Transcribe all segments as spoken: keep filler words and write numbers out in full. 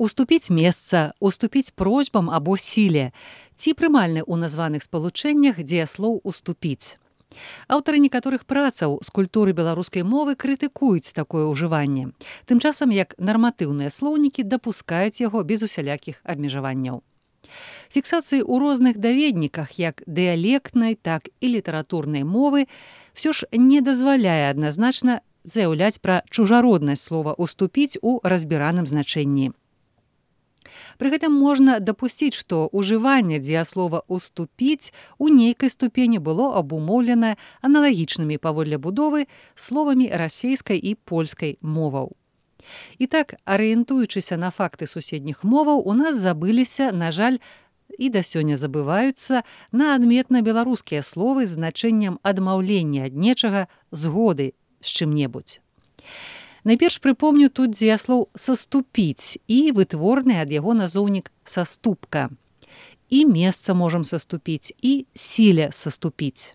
Уступіць месца, уступіць просьбам або сіле, ці прымальны ў названых спалучэннях дзеяслоў уступіць. Аўтары некаторых працаў з культуры беларускай мовы крытыкуюць такое ўжыванне, тым часам як нарматыўныя слоўнікі дапускаюць яго без усялякіх абмежаванняў. Фіксацыі ў розных даведніках, як дыялектнай, так і літаратурнай мовы, ўсё ж не дазваляе адназначна заяўляць пра чужароднасць слова «уступіць» у разбіраным значэнні. Пры гэтым можна дапусціць, што ўжыванне дзеяслова «уступіць» у нейкай ступені было абумоўлена аналагічнымі паводле будовы словамі расейскай і польскай моваў. І так, арыентуючыся на факты суседніх моваў, у нас забыліся, на жаль, і да сёння забываюцца на адметна беларускія словы з значэннем адмаўлення ад нечага, згоды з чым-небудзь. Найперш прыпомню тут дзеяслоў «саступіць» і вытворны ад яго назоўнік «саступка». І месца можам саступіць, і сіле саступіць.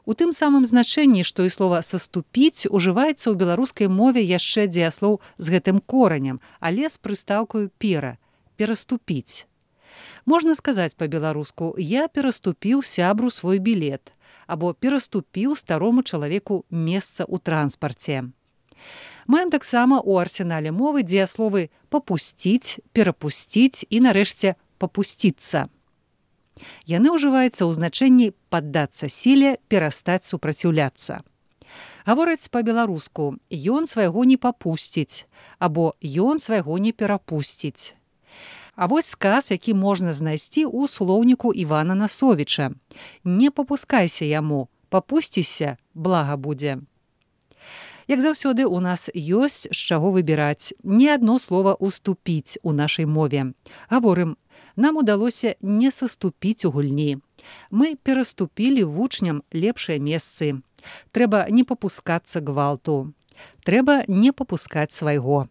У тым самым значэнні, што і слова «саступіць» ужываецца ў беларускай мове яшчэ дзеяслоў з гэтым коранем, але з прыстаўкаю «пера» – «пераступіць». Можна сказаць па-беларуску «я пераступіў сябру свой білет» або «пераступіў старому чалавеку месца ў транспарце». Маем таксама ў арсенале мовы дзеясловы «папусціць», «перапусціць» і, нарэшце, «папусціцца». Яны ўжываюцца ў значэнні «паддацца сіле», «перастаць супраціўляцца». Гавораць па-беларуску «ён свайго не папусціць» або «ён свайго не перапусціць». А вось сказ, які можна знайсці ў слоўніку Івана Насовіча. «Не папускайся яму, папусціся, блага будзе». Як заўсёды, у нас ёсць з чаго выбіраць. Не адно слова «уступіць» у нашай мове. Гаворым, нам удалося не саступіць у гульні. Мы пераступілі вучням лепшыя месцы. Трэба не папускацца гвалту. Трэба не папускаць свайго.